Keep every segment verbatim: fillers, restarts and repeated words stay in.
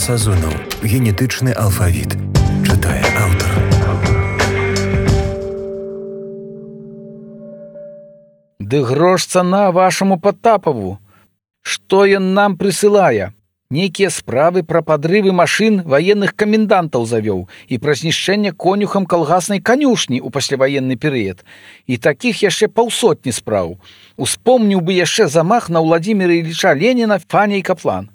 Сазонаў. Генетычны алфавіт. Чытае аўтар. Ды грош цана вашаму Патапаву. Што ён нам прысылае? Нейкія справы пра падрывы машын ваенных камендантаў завёў і пра знішчэнне конюхам калгаснай канюшні ў пасляваенны перыяд. І такіх яшчэ паўсотні спраў. Успомніў бы яшчэ замах на Ўладзіміра Іліча Леніна, Фаня і Каплан.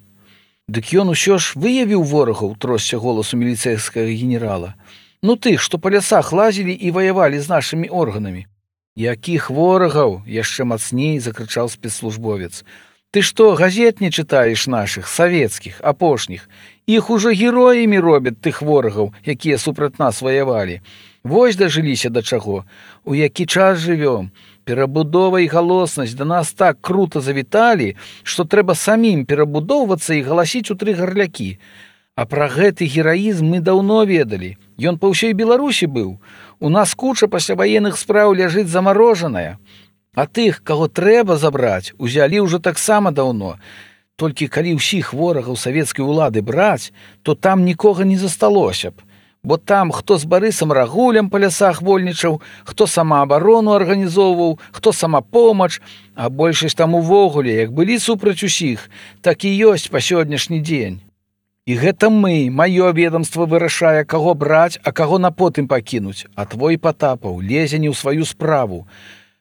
Дык ён усё ж выявіў ворагаў, тросся голасу міліцэйскага генерала. Ну тых, што па лясах лазілі і ваявалі з нашымі органамі. Якіх ворагаў? Яшчэ мацней закрычаў спецслужбовец. Ты што, газет не чытаеш нашых, савецкіх, апошніх? Іх ужо героямі робяць тых ворагаў, якія супраць нас ваявалі. Вось дажыліся да чаго. У які час жывём? Перабудова і галоснасць да нас так крута завіталі, што трэба самім перабудоўвацца і галасіць у тры гарлякі. А пра гэты гераізм мы даўно ведалі. Ён па ўсёй Беларусі быў. У нас куча пасляваенных спраў ляжыць замарожаная. А тых, каго трэба забраць, узялі ўжо таксама даўно. Толькі калі ўсіх ворагаў савецкай улады браць, то там нікога не засталося б. Бо там хто з Барысам Рагулем па лясах вольнічаў, хто самаабарону арганізоўваў, хто самапомач, а большасць там увогуле, як былі супраць усіх, так і ёсць па сённяшні дзень. І гэта мы, маё ведамства вырашае, каго браць, а каго на потым пакінуць, а твой Патапаў лезе не ў сваю справу.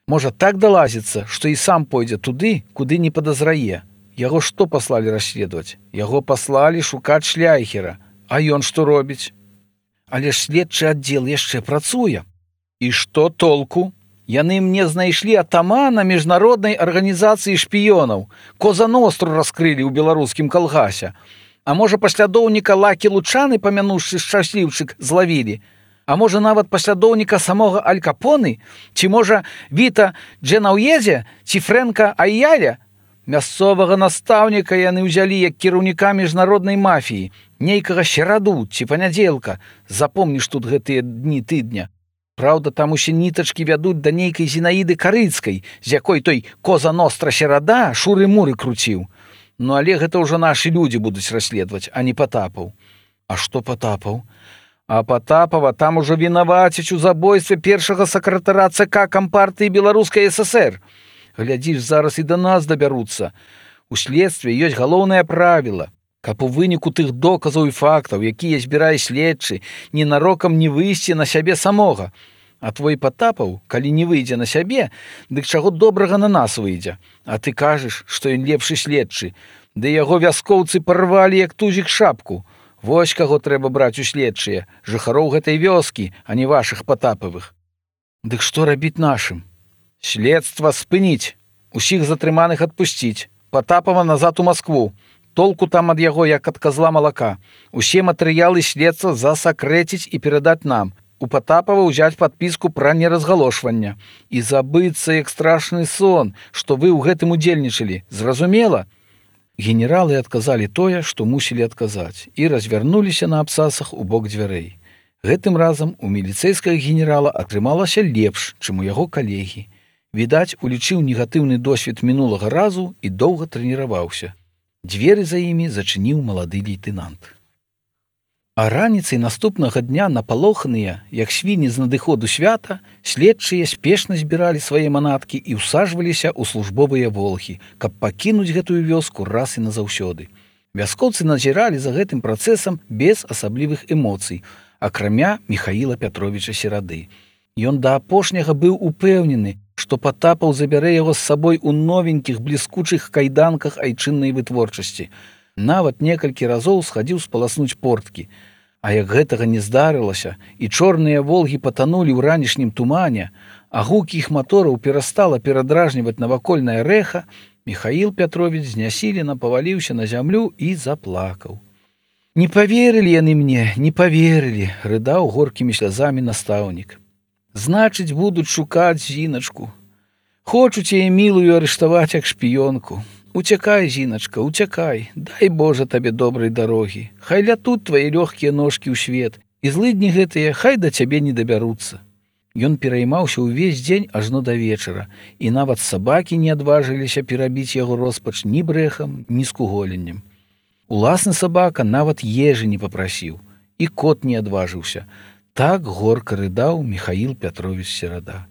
Можа так далазіцца, што і сам пойдзе туды, куды не падазрае. Яго што паслалі расследаваць? Яго паслалі шукаць шляйхера. А ён што робіць? Але ж следчы аддзел яшчэ працуе. І што толку? Яны мне знайшлі атамана міжнароднай арганізацыі шпіёнаў. Коза Ностру раскрылі ў беларускім калгасе. А можа паслядоўніка Лакі Лучаны, памянуўшы шчасліўчык, злавілі? А можа нават паслядоўніка самога Аль Капоны? Ці можа Віта Дженаўезе ці Фрэнка Айяля? Мясцовага настаўніка яны ўзялі як кіраўніка міжнароднай мафіі, нейкага сераду ці панядзелка. Запомніш тут гэтыя дні тыдня. Праўда, там усе нітачкі вядуць да нейкай Зінаіды Карыцкай, з якой той Коза Ностра серада шуры-муры круціў. Ну але гэта ўжо нашы людзі будуць расследаваць, а не Патапаў. А што Патапаў? А Патапава там ужо вінавацяць у забойстве першага сакратара ЦК Кампартыі Беларускай ССР. Глядзіш, зараз і да нас дабяруцца. У следстве ёсць галоўнае правіла, каб у выніку тых доказаў і фактаў, якія збірае следчы, ненарокам не выйсці на сябе самога. А твой Патапаў, калі не выйдзе на сябе, дык чаго добрага на нас выйдзе. А ты кажаш, што ён лепшы следчы, ды яго вяскоўцы парвалі як тузік шапку. Вось каго трэба браць у следчыя, жыхароў гэтай вёскі, а не вашых Патапавых. Дык што рабіць нашым? Следства спыніць, усіх затрыманых адпусціць, Патапава назад у Маскву. Толку там ад яго, як ад казла малака. Усе матэрыялы следства засакрэціць і перадаць нам. У Патапава ўзяць падпіску пра неразгалошванне. І забыцца, як страшны сон, што вы ў гэтым удзельнічалі. Зразумела? Генералы адказалі тое, што мусілі адказаць, і развярнуліся на абсасах у бок дзвярэй. Гэтым разам у міліцэйскага генерала атрымалася лепш, чым у яго калегі. Відаць, улічыў негатыўны досвед мінулага разу і доўга трэніраваўся. Дзверы за імі зачыніў малады лейтэнант. А раніцай наступнага дня напалоханыя, як свіні з надыходу свята, следчыя спешна збіралі свае манаткі і ўсаджваліся ў службовыя волгі, каб пакінуць гэтую вёску раз і назаўсёды. Вяскоўцы назіралі за гэтым працэсам без асаблівых эмоцый, акрамя Міхаіла Пятровіча Серады. Ён да апошняга быў упэўнены, што Патапаў забярэ яго з сабой у новенькіх бліскучых кайданках айчыннай вытворчасці. Нават некалькі разоў схадзіў спаласнуць порткі. А як гэтага не здарылася, і чорныя волгі патанулі ў ранішнім тумане, а гук іх матораў перастала перадражніваць навакольнае рэха, Міхаіл Пятровіч знясілена паваліўся на зямлю і заплакаў. «Не паверылі яны мне, не паверылі», — рыдаў горкімі слязамі настаўнік. «Значыць, будуць шукаць Зіначку. Хочуць яе мілую арыштаваць як шпіёнку. Уцякай, Зіначка, уцякай, дай Божа табе добрай дарогі. Хай лятуць твае лёгкія ножкі ў свет, і злыдні гэтыя хай да цябе не дабяруцца». Ён пераймаўся ўвесь дзень ажно да вечара, і нават сабакі не адважыліся перабіць яго роспач ні брэхам, ні скуголеннем. Уласны сабака нават ежы не папрасіў, і кот не адважыўся. Так горка рыдаў Міхаіл Пятровіч Серада.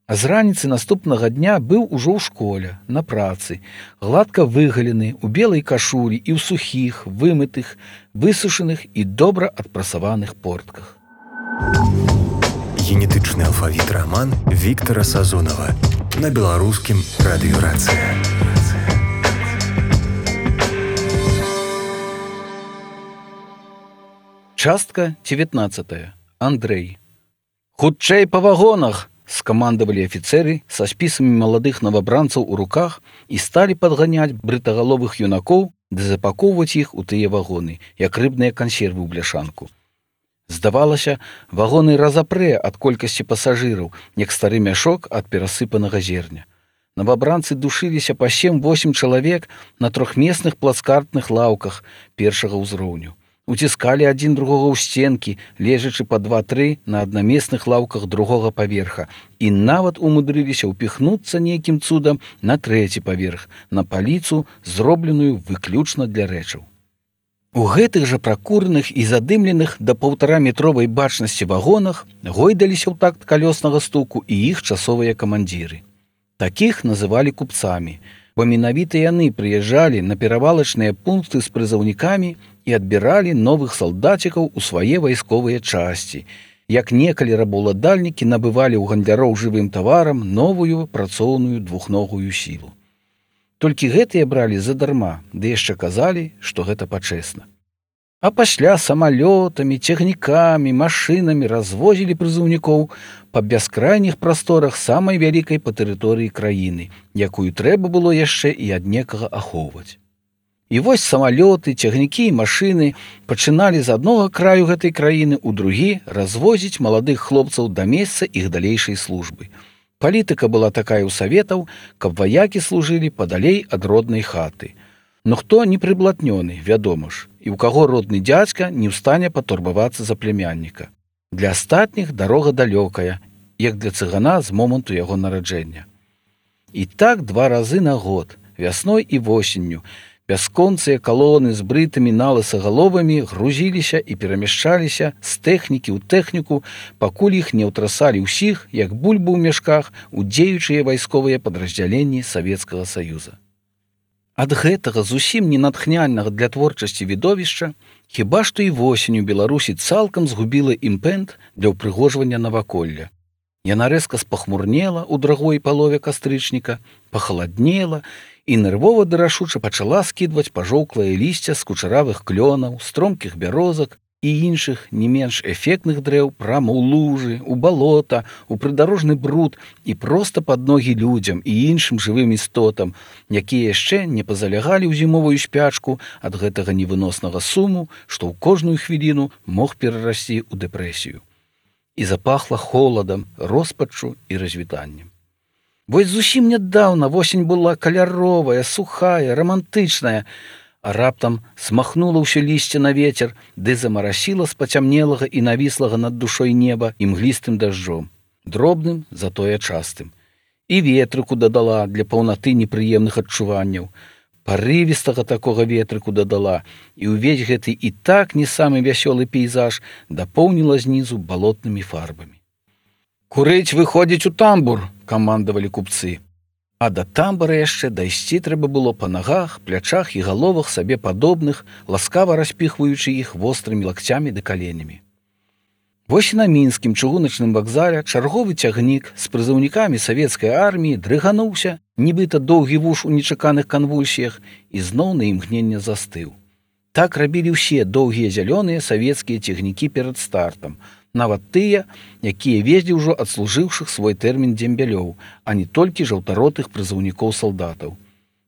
А з раніцы наступнага дня быў ужо ў школе, на працы, гладка выгалены, у белай кашулі і ў сухіх, вымытых, высушаных і добра адпрасаваных портках. Генетычны алфавіт раман Віктара Сазонава на беларускім радыёрацыя. Частка дзевятнаццатая. Андрэй. «Хутчэй па вагонах!» скамандавалі афіцэры са спісамі маладых новабранцаў у руках і сталі падганяць брытагаловых юнакоў ды запакоўваць іх у тыя вагоны, як рыбныя кансервы ў бляшанку. Здавалася, вагоны разапрэ ад колькасці пасажыраў, як стары мяшок ад перасыпанага зерня. Новабранцы душыліся па сем-восем чалавек на трохмесных плацкартных лаўках першага ўзроўню. Уціскалі адзін другога ў сценкі, лежачы па два-тры на аднамесных лаўках другога паверха, і нават умудрыліся ўпіхнуцца нейкім цудам на трэці паверх, на паліцу, зробленую выключна для рэчаў. У гэтых жа пракураных і задымленых да паўтараметровай бачнасці вагонах гойдаліся ў такт калёснага стуку і іх часовыя камандзіры. Такіх называлі купцамі, бо менавіта яны прыязджалі на перавалачныя пункты з прызыўнікамі і адбіралі новых салдацікаў у свае вайсковыя часці, як некалі рабаўладальнікі набывалі ў гандляроў жывым таварам новую працоўную двухногую сілу. Толькі гэтыя бралі задарма, ды яшчэ казалі, што гэта пачэсна. А пасля самалётамі, цягнікамі, машынамі развозілі прызыўнікоў па бяскрайніх прасторах самай вялікай па тэрыторыі краіны, якую трэба было яшчэ і ад некага ахоўваць. І вось самалёты, цягнікі і машыны пачыналі з аднога краю гэтай краіны ў другі развозіць маладых хлопцаў да месца іх далейшай службы. Палітыка была такая ў саветаў, каб ваякі служылі падалей ад роднай хаты. Но хто не прыблатнёны, вядома ж, і ў каго родны дзядзька не ў стане патурбавацца за племянніка. Для астатніх дарога далёкая, як для цыгана з моманту яго нараджэння. І так два разы на год, вясной і восенню, бясконцыя калоны з брытымі налысагаловамі грузіліся і перамяшчаліся з тэхнікі ў тэхніку, пакуль іх не ўтрасалі ўсіх, як бульбу ў мяшках, у дзеючыя вайсковыя падраздзяленні Савецкага Саюза. Ад гэтага зусім ненатхняльнага для творчасці відовішча хіба што і восенню Беларусі цалкам згубіла імпэт для ўпрыгожвання наваколля. Яна рэзка спахмурнела ў другой палове кастрычніка, пахаладнела і нервова ды рашуча пачала скідваць пажоўклае лісце з кучаравых клёнаў, стромкіх бярозак і іншых не менш эфектных дрэў прама ў лужы, у балота, у прыдарожны бруд і проста пад ногі людзям і іншым жывым істотам, якія яшчэ не пазалягалі ў зімовую спячку ад гэтага невыноснага суму, што ў кожную хвіліну мог перарасці ў дэпрэсію. І запахла холадам, роспаччу і развітаннем. Вось зусім нядаўна восень была каляровая, сухая, рамантычная, а раптам смахнула ўсё лісце на вецер, ды замарасіла з пацямнелага і навіслага над душой неба імглістым дажджом, дробным, затое частым. І ветрыку дадала для паўнаты непрыемных адчуванняў, парывістага такога ветрыку дадала, і ўвесь гэты і так не самы вясёлы пейзаж дапоўніла знізу балотнымі фарбамі. «Курыць выходзіць у тамбур!» камандавалі купцы. А да тамбара яшчэ дайсці трэба было па нагах, плячах і галовах сабе падобных, ласкава распіхваючы іх вострымі лакцямі ды каленямі. Вось і на мінскім чыгуначным вакзале чарговы цягнік з прызыўнікамі савецкай арміі дрыгануўся, нібыта доўгі вуш у нечаканых канвульсіях, і зноў на імгненне застыў. Так рабілі ўсе доўгія зялёныя савецкія цягнікі перад стартам, нават тыя, якія везлі ўжо адслужыўшых свой тэрмін дзембялёў, а не толькі жаўтаротых прызыўнікоў-салдатаў.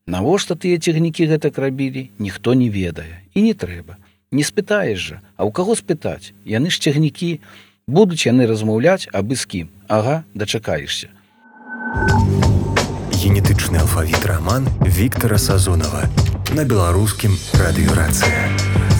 Навошта тыя цягнікі гэтак рабілі, ніхто не ведае. І не трэба. Не спытаеш жа, а ў каго спытаць? Яны ж цягнікі, будуць яны размаўляць абы з кім. Ага, дачакаешся. Генетычны алфавіт раман Віктара Сазонава на беларускім радыёрацыя.